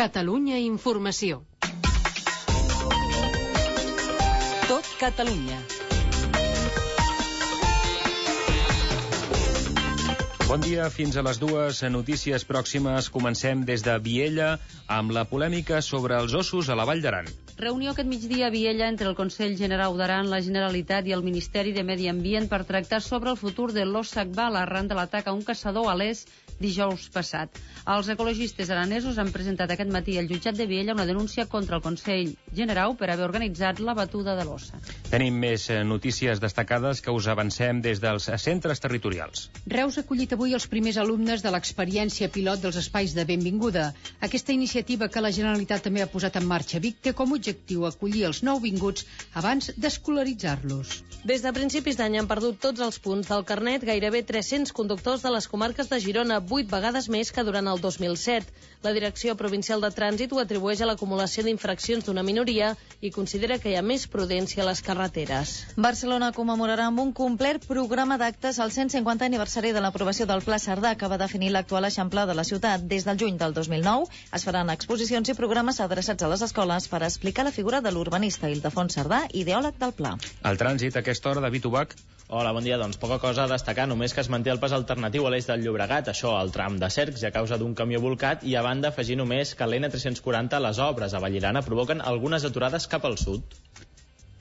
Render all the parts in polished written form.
Catalunya Informació. Tot Catalunya. Bon dia, fins a les 2 notícies pròximes. Comencem des de Viella amb la polèmica sobre els ossos a la Vall d'Aran. Reunió aquest migdia a Viella entre el Consell Generau d'Aran, la Generalitat i el Ministeri de Medi Ambient per tractar sobre el futur de l'ós Akbala arran de l'atac a un caçador a l'Es dijous passat. Els ecologistes aranesos han presentat aquest matí al jutjat de Viella una denúncia contra el Consell Generau per haver organitzat la batuda de l'ossa. Tenim més notícies destacades que us avancem des dels centres territorials. Reus ha acollit avui els primers alumnes de l'experiència pilot dels espais de benvinguda. Aquesta iniciativa que la Generalitat també ha posat en marxa a Vic té com a objectiu acollir els nouvinguts abans d'escolaritzar-los. Des de principis d'any han perdut tots els punts del carnet gairebé 300 conductors de les comarques de Girona, 8 vegades més que durant el 2007. La Direcció Provincial de Trànsit ho atribueix a l'acumulació d'infraccions d'una minoria i considera que hi ha més prudència a les carreteres. Barcelona commemorarà amb un complet programa d'actes el 150 aniversari de l'aprovació del Pla Cerdà, que va definir l'actual eixample de la ciutat. Des del juny del 2009 es faran exposicions i programes adreçats a les escoles per explicar la figura de l'urbanista Ildefons Cerdà, ideòleg del pla. El trànsit a aquesta hora, David Ubach. Hola, bon dia. Doncs poca cosa a destacar, només que es manté el pas alternatiu a l'eix del Llobregat, això al tram de Cercs, a causa d'un camió volcat, i a banda afegir només que a l'N340 les obres a Vallirana provoquen algunes aturades cap al sud.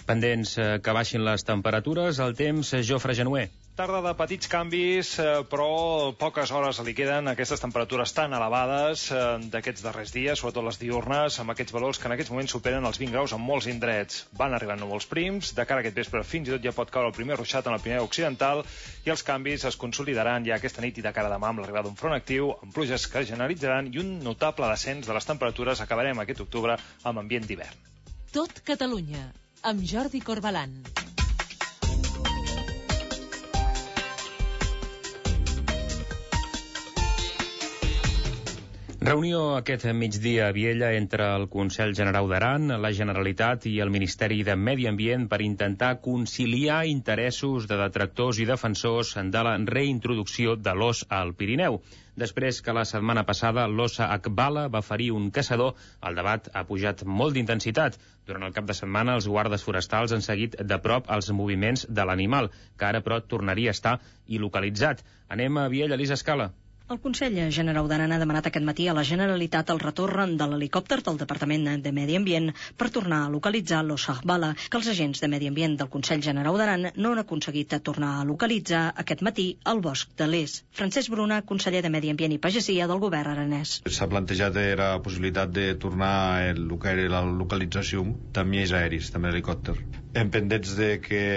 Pendents que baixin les temperatures, el temps, Jofre Genuer. Tarda de petits canvis, però poques hores li queden aquestes temperatures tan elevades d'aquests darrers dies, sobretot les diurnes, amb aquests valors que en aquests moments superen els 20 graus en molts indrets. Van arribant núvols prims, de cara a aquest vespre fins i tot ja pot caure el primer ruixat en el Pirineu Occidental, i els canvis es consolidaran ja aquesta nit i de cara a demà amb l'arribada d'un front actiu, amb pluges que generalitzaran i un notable descens de les temperatures. Acabarem aquest octubre amb ambient d'hivern. Tot Catalunya, amb Jordi Corbalan. Reunió aquest migdia a Viella entre el Consell Generau d'Aran, la Generalitat i el Ministeri de Medi Ambient per intentar conciliar interessos de detractors i defensors de la reintroducció de l'ós al Pirineu. Després que la setmana passada l'ossa Akbala va ferir un caçador, el debat ha pujat molt d'intensitat. Durant el cap de setmana, els guardes forestals han seguit de prop els moviments de l'animal, que ara, però, tornaria a estar il·localitzat. Anem a Viella, Elisa Escala. El Consell Generau d'Aran ha demanat aquest matí a la Generalitat el retorn de l'helicòpter del Departament de Medi Ambient per tornar a localitzar l'ós Akbala, que els agents de Medi Ambient del Consell Generau d'Aran no han aconseguit tornar a localitzar aquest matí al bosc de l'Es. Francesc Bruna, conseller de Medi Ambient i Pagesia del govern aranès. S'ha plantejat la possibilitat de tornar a el que era la localització també és aeris, també l'helicòpter. Hem pendents de que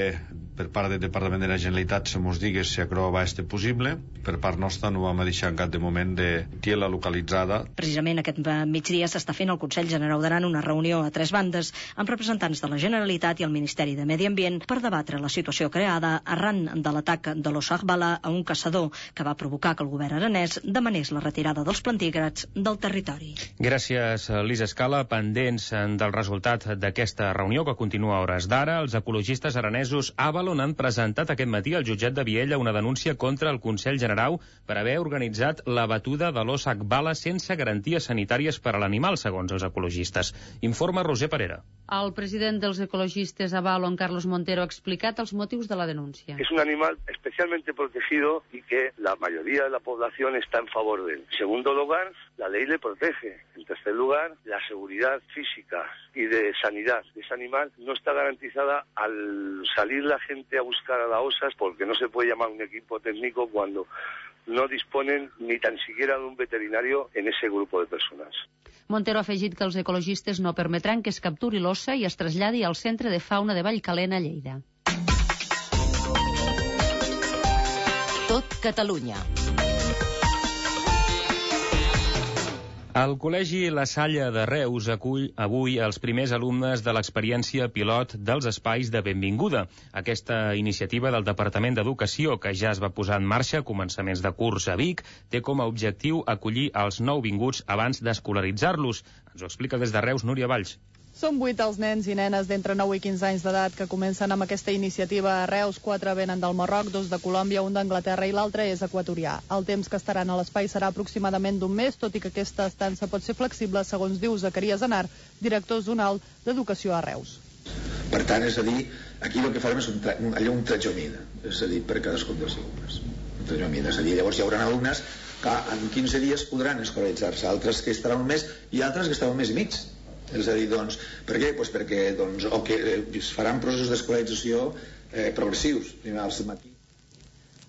per part del Departament de la Generalitat se mos digués si acroba este possible. Per part nostra no vam deixar en cap de moment de tiela localitzada. Precisament aquest migdia s'està fent al Consell Generau d'Aran una reunió a 3 bandes amb representants de la Generalitat i el Ministeri de Medi Ambient per debatre la situació creada arran de l'atac de l'ós Akbala a un caçador que va provocar que el govern aranès demanés la retirada dels plantígrads del territori. Gràcies, Lisa Escala. Pendents del resultat d'aquesta reunió que continua a hores d'ara, els ecologistes aranesos Avalon han presentat aquest matí al jutjat de Viella una denúncia contra el Consell Generau per haver organitzat la batuda de l'ós Akbala sense garanties sanitàries per a l'animal, segons els ecologistes. Informa Roser Parera. El president dels ecologistes Avalon, Carlos Montero, ha explicat els motius de la denúncia. Es un animal especialmente protegido y que la mayoría de la población está en favor de él. En segundo lugar, la ley le protege. En tercer lugar, la seguridad física y de sanidad de ese animal no está garantizada al salir la gente a buscar a las osas, porque no se puede llamar un equipo técnico cuando no disponen ni tan siquiera de un veterinario en ese grupo de personas. Montero ha afegit que els ecologistes no permetran que es capturi l'ossa i es traslladi al Centre de Fauna de Vallcalent a Lleida. Tot Catalunya. El Col·legi La Salle de Reus acull avui els primers alumnes de l'experiència pilot dels espais de benvinguda. Aquesta iniciativa del Departament d'Educació, que ja es va posar en marxa a començaments de curs a Vic, té com a objectiu acollir els nouvinguts abans d'escolaritzar-los. Ens ho explica des de Reus Núria Valls. Són 8 els nens i nenes d'entre 9 i 15 anys d'edat que comencen amb aquesta iniciativa a Reus. 4 venen del Marroc, 2 de Colòmbia, 1 d'Anglaterra i l'altre és equatorià. El temps que estaran a l'espai serà aproximadament d'un mes, tot i que aquesta estança pot ser flexible, segons diu Zacarías Anar, director zonal d'Educació a Reus. Per tant, és a dir, aquí el que farem és un tratjomida, és a dir, per cadascun dels alumnes. Un tratjomida, és a dir, llavors hi haurà alumnes que en 15 dies podran escolaritzar-se, altres que estaran un mes i altres que estaran un mes i mig. És a dir, doncs, per què? Pues perquè es faran processos d'escolarització progressius, primer al matí.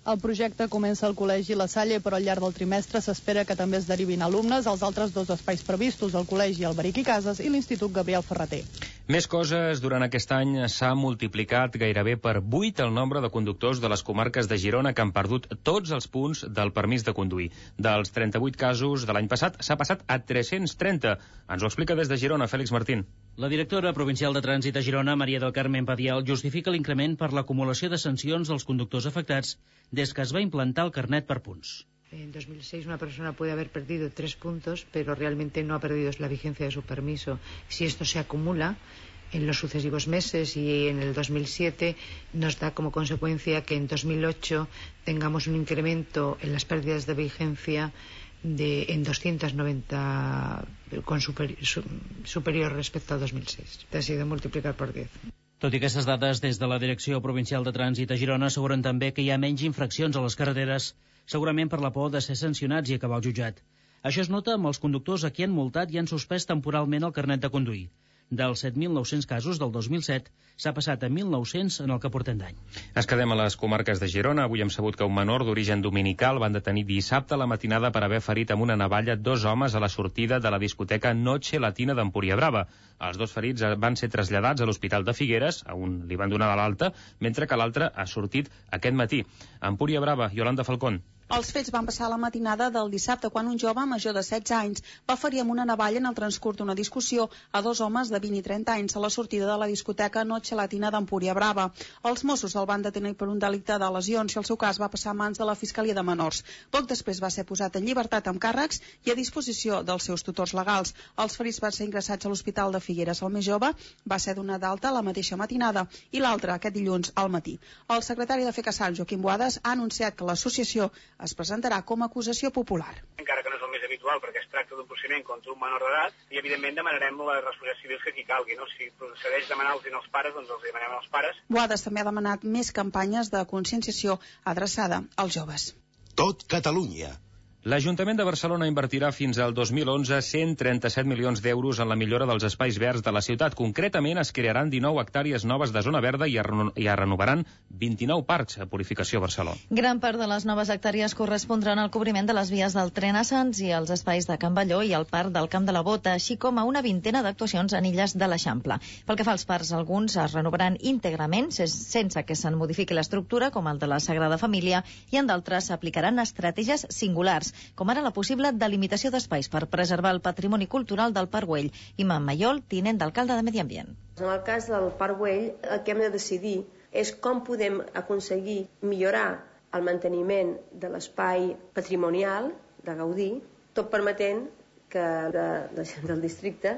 El projecte comença al Col·legi La Salle, però al llarg del trimestre s'espera que també es derivin alumnes als altres 2 espais previstos, el Col·legi Alberic i Cases i l'Institut Gabriel Ferrater. Més coses. Durant aquest any s'ha multiplicat gairebé per 8 el nombre de conductors de les comarques de Girona que han perdut tots els punts del permís de conduir. Dels 38 casos de l'any passat s'ha passat a 330. Ens ho explica des de Girona, Fèlix Martín. La directora provincial de Trànsit a Girona, Maria del Carmen Padial, justifica l'increment per l'acumulació de sancions dels conductors afectats des que es va implantar el carnet per punts. En 2006 una persona puede haber perdido 3 puntos, pero realmente no ha perdido la vigencia de su permiso. Si esto se acumula en los sucesivos meses y en el 2007 nos da como consecuencia que en 2008 tengamos un incremento en las pérdidas de vigencia en 290 superior respecto al 2006. Ha sido multiplicar por 10. Tot i aquestes dades, des de la Direcció Provincial de Trànsit a Girona asseguren també que hi ha menys infraccions a les carreteres, segurament per la por de ser sancionats i acabar al jutjat. Això es nota amb els conductors a qui han multat i han suspès temporalment el carnet de conduir. Dels 7.900 casos del 2007 s'ha passat a 1.900 en el que portem d'any. Es quedem a les comarques de Girona. Avui hem sabut que un menor d'origen dominical van detenir dissabte a la matinada per haver ferit amb una navalla 2 homes a la sortida de la discoteca Noche Latina d'Empúria Brava. Els 2 ferits van ser traslladats a l'Hospital de Figueres, a un li van donar de l'alta, mentre que l'altre ha sortit aquest matí. A Empúria Brava, Yolanda Falcón. Els fets van passar a la matinada del dissabte quan un jove major de 16 anys va ferir amb una navalla en el transcurs d'una discussió a 2 homes de 20 i 30 anys a la sortida de la discoteca Noche Latina d'Empúria Brava. Els Mossos el van detenir per un delicte de lesions i el seu cas va passar a mans de la Fiscalia de Menors. Poc després va ser posat en llibertat amb càrrecs i a disposició dels seus tutors legals. Els ferits van ser ingressats a l'Hospital de Figueres. El més jove va ser donat d'alta la mateixa matinada i l'altre aquest dilluns al matí. El secretari de FECASAL, Joaquim Boades, ha anunciat que l'associació es presentarà com a acusació popular. Encara que no és el més habitual perquè es tracta d'un procediment contra un menor d'edat i evidentment demanarem les responsabilitats civils que aquí calgui, no? Si procedeix demanar-los als pares, doncs els demanem als pares. Boades també ha demanat més campanyes de conscienciació adreçada als joves. Tot Catalunya. L'Ajuntament de Barcelona invertirà fins al 2011 137 milions d'euros en la millora dels espais verds de la ciutat. Concretament, es crearan 19 hectàrees noves de zona verda i es renovaran 29 parcs a Purificació Barcelona. Gran part de les noves hectàrees correspondran al cobriment de les vies del tren a Sants i els espais de Can Balló i el parc del Camp de la Bota, així com a una vintena d'actuacions en illes de l'Eixample. Pel que fa als parcs, alguns es renovaran íntegrament, sense que se'n modifiqui l'estructura, com el de la Sagrada Família, i en d'altres s'aplicaran estratègies singulars, com ara la possible delimitació d'espais per preservar el patrimoni cultural del Parc Güell. Imam Mayol, tinent d'alcalde de Medi Ambient. En el cas del Parc Güell, el que hem de decidir és com podem aconseguir millorar el manteniment de l'espai patrimonial de Gaudí, tot permetent que la gent del districte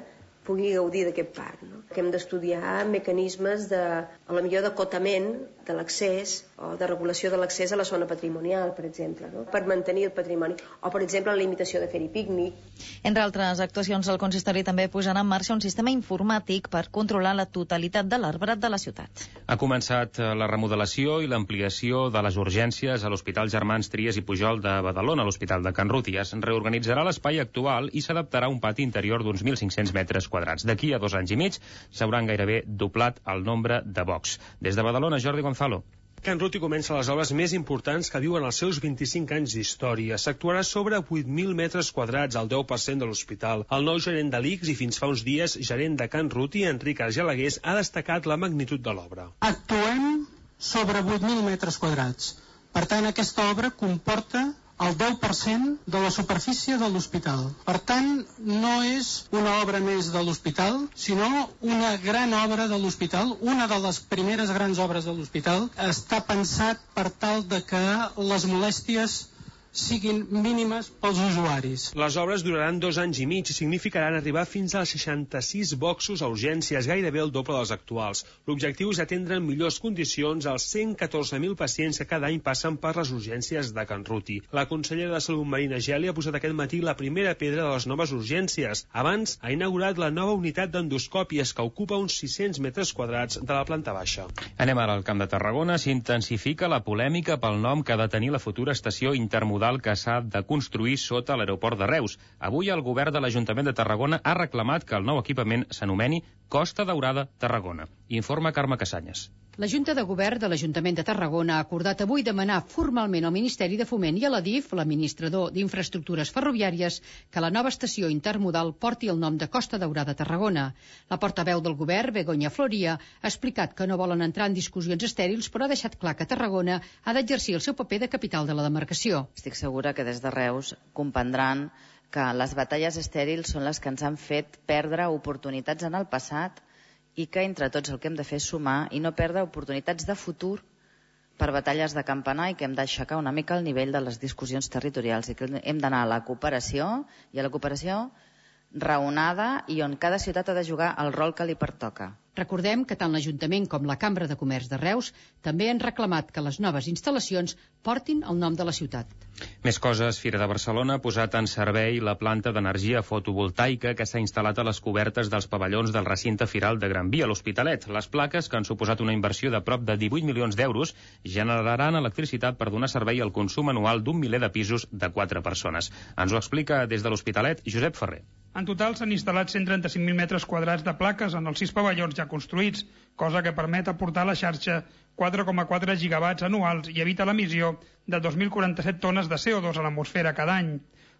pugui gaudir d'aquest parc. No? Que hem d'estudiar mecanismes de, a la millor d'acotament de l'accés o de regulació de l'accés a la zona patrimonial, per exemple, no? Per mantenir el patrimoni. O, per exemple, la limitació de fer-hi pícnic. Entre altres actuacions, el consistori també posarà en marxa un sistema informàtic per controlar la totalitat de l'arbrat de la ciutat. Ha començat la remodelació i l'ampliació de les urgències a l'Hospital Germans Trias i Pujol de Badalona, a l'Hospital de Can Ruti. Es reorganitzarà l'espai actual i s'adaptarà a un pati interior d'uns 1.500 metres quadrats. D'aquí a 2 anys i mig s'hauran gairebé doblat el nombre de bocs. Des de Badalona, Jordi Gonzalo. Can Ruti comença les obres més importants que viuen els seus 25 anys d'història. S'actuarà sobre 8.000 metres quadrats, al 10% de l'hospital. El nou gerent de l'ICS i fins fa uns dies gerent de Can Ruti, Enric Argelagués, ha destacat la magnitud de l'obra. Actuem sobre 8.000 metres quadrats. Per tant, aquesta obra comporta el 10% de la superfície de l'hospital. Per tant, no és una obra més de l'hospital, sinó una gran obra de l'hospital, una de les primeres grans obres de l'hospital. Està pensat per tal de que les molèsties siguin mínimes pels usuaris. Les obres duraran 2 anys i mig i significaran arribar fins als 66 boxos a urgències, gairebé el doble dels actuals. L'objectiu és atendre en millors condicions als 114.000 pacients que cada any passen per les urgències de Can Ruti. La consellera de Salut, Marina Geli, ha posat aquest matí la primera pedra de les noves urgències. Abans ha inaugurat la nova unitat d'endoscòpies que ocupa uns 600 metres quadrats de la planta baixa. Anem ara al Camp de Tarragona. S'intensifica la polèmica pel nom que ha de tenir la futura estació intermodal que s'ha de construir sota l'aeroport de Reus. Avui el govern de l'Ajuntament de Tarragona ha reclamat que el nou equipament s'anomeni Costa Daurada Tarragona. Informa Carme Casanyes. La Junta de Govern de l'Ajuntament de Tarragona ha acordat avui demanar formalment al Ministeri de Foment i a l'ADIF, l'administrador d'Infraestructures Ferroviàries, que la nova estació intermodal porti el nom de Costa Daurada Tarragona. La portaveu del govern, Begoña Floria, ha explicat que no volen entrar en discussions estèrils, però ha deixat clar que Tarragona ha d'exercir el seu paper de capital de la demarcació. Estic segura que des de Reus comprendran que les batalles estèrils són les que ens han fet perdre oportunitats en el passat i que entre tots el que hem de fer és sumar i no perdre oportunitats de futur per batalles de campanar i que hem d'aixecar una mica el nivell de les discussions territorials i que hem d'anar a la cooperació i a la cooperació raonada i on cada ciutat ha de jugar el rol que li pertoca. Recordem que tant l'Ajuntament com la Cambra de Comerç de Reus també han reclamat que les noves instal·lacions portin el nom de la ciutat. Més coses. Fira de Barcelona ha posat en servei la planta d'energia fotovoltaica que s'ha instal·lat a les cobertes dels pavellons del recinte firal de Gran Via, a l'Hospitalet. Les plaques, que han suposat una inversió de prop de 18 milions d'euros, generaran electricitat per donar servei al consum anual d'un miler de pisos de 4 persones. Ens ho explica des de l'Hospitalet Josep Ferrer. En total s'han instal·lat 135.000 metres quadrats de plaques en els 6 pavellons ja construïts, cosa que permet aportar a la xarxa 4,4 gigawatts anuals i evita l'emissió de 2.047 tones de CO2 a l'atmosfera cada any.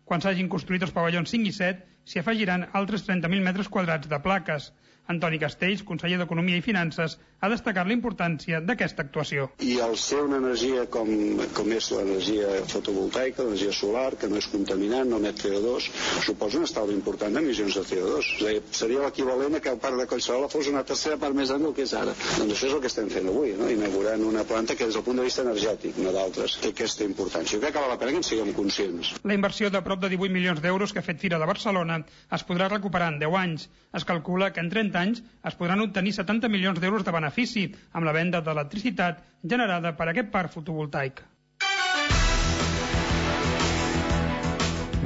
Quan s'hagin construït els pavellons 5 i 7, s'hi afegiran altres 30.000 metres quadrats de plaques. Antoni Castells, conseller d'Economia i Finances, ha destacat la importància d'aquesta actuació. I al ser una energia com és l'energia fotovoltaica, l'energia solar, que no és contaminant, no emet CO2, suposa un estalvi important d'emissions de CO2. És a dir, seria l'equivalent a que el parc de Collserola fos una tercera part més gran del que és ara. Doncs això és el que estem fent avui, no? Inaugurant una planta que des del punt de vista energètic, no d'altres, té aquesta importància. Jo crec que val la pena que en siguem conscients. La inversió de prop de 18 milions d'euros que ha fet Fira de Barcelona es podrà recuperar en 10 anys. Es calcula que en 30 anys es podran obtenir 70 milions d'euros de benefici amb la venda d'electricitat generada per aquest parc fotovoltaic.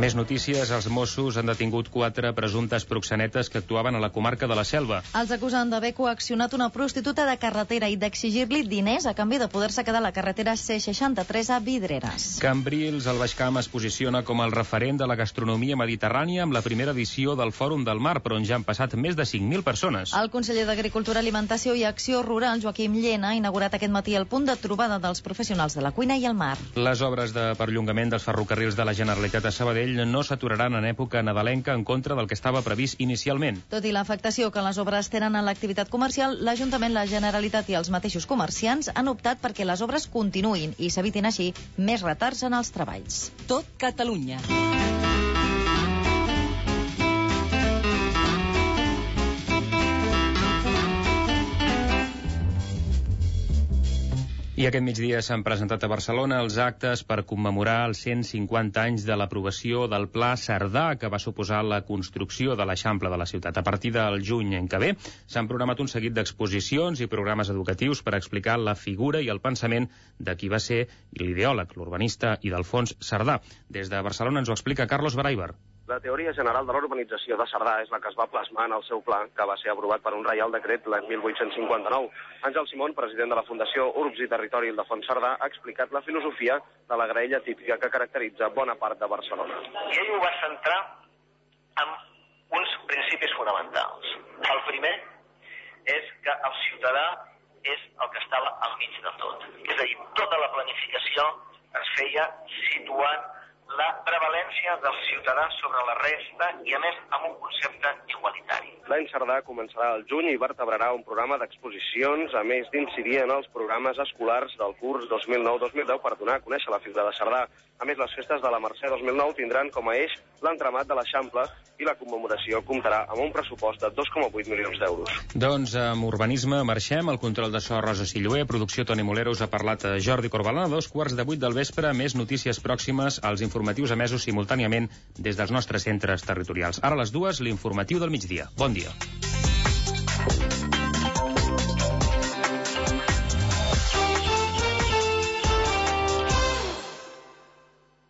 Més notícies. Els Mossos han detingut 4 presumptes proxenetes que actuaven a la comarca de la Selva. Els acusen d'haver coaccionat una prostituta de carretera i d'exigir-li diners a canvi de poder-se quedar a la carretera C63 a Vidreres. Cambrils, al Baix Camp, es posiciona com el referent de la gastronomia mediterrània amb la primera edició del Fòrum del Mar, però on ja han passat més de 5.000 persones. El conseller d'Agricultura, Alimentació i Acció Rural, Joaquim Llena, ha inaugurat aquest matí el punt de trobada dels professionals de la cuina i el mar. Les obres de perllongament dels ferrocarrils de la Generalitat a Sabadell no s'aturaran en època nadalenca en contra del que estava previst inicialment. Tot i l'afectació que les obres tenen en l'activitat comercial, l'Ajuntament, la Generalitat i els mateixos comerciants han optat perquè les obres continuïn i s'evitin així més retards en els treballs. Tot Catalunya. I aquest migdia s'han presentat a Barcelona els actes per commemorar els 150 anys de l'aprovació del Pla Cerdà, que va suposar la construcció de l'Eixample de la ciutat. A partir del juny en que ve s'han programat un seguit d'exposicions i programes educatius per explicar la figura i el pensament de qui va ser l'ideòleg, l'urbanista Ildefons Cerdà. Des de Barcelona ens ho explica Carlos Baraibar. La teoria general de l'urbanització de Cerdà és la que es va plasmar en el seu pla, que va ser aprovat per un reial decret l'any 1859. Àngel Simón, president de la Fundació Urbs i Territori Ildefons Cerdà, ha explicat la filosofia de la graella típica que caracteritza bona part de Barcelona. I ell ho va centrar en uns principis fonamentals. El primer és que el ciutadà és el que estava al mig de tot. És a dir, tota la planificació es feia situant la prevalència del ciutadà sobre la resta i, a més, amb un concepte igualitari. L'any Cerdà començarà al juny i vertebrarà un programa d'exposicions, a més d'incidir en els programes escolars del curs 2009-2010 per donar a conèixer la figura de Cerdà. A més, les festes de la Mercè 2009 tindran com a eix l'entramat de l'Eixample i la commemoració comptarà amb un pressupost de 2,8 milions d'euros. Doncs amb urbanisme marxem. El control de so Rosa Silloé, producció Toni Moleros, ha parlat a Jordi Corbalán a 7:15 del vespre. Més notícies pròximes als informatius emesos simultàniament des dels nostres centres territorials. Ara a les 2, l'informatiu del migdia. Bon dia.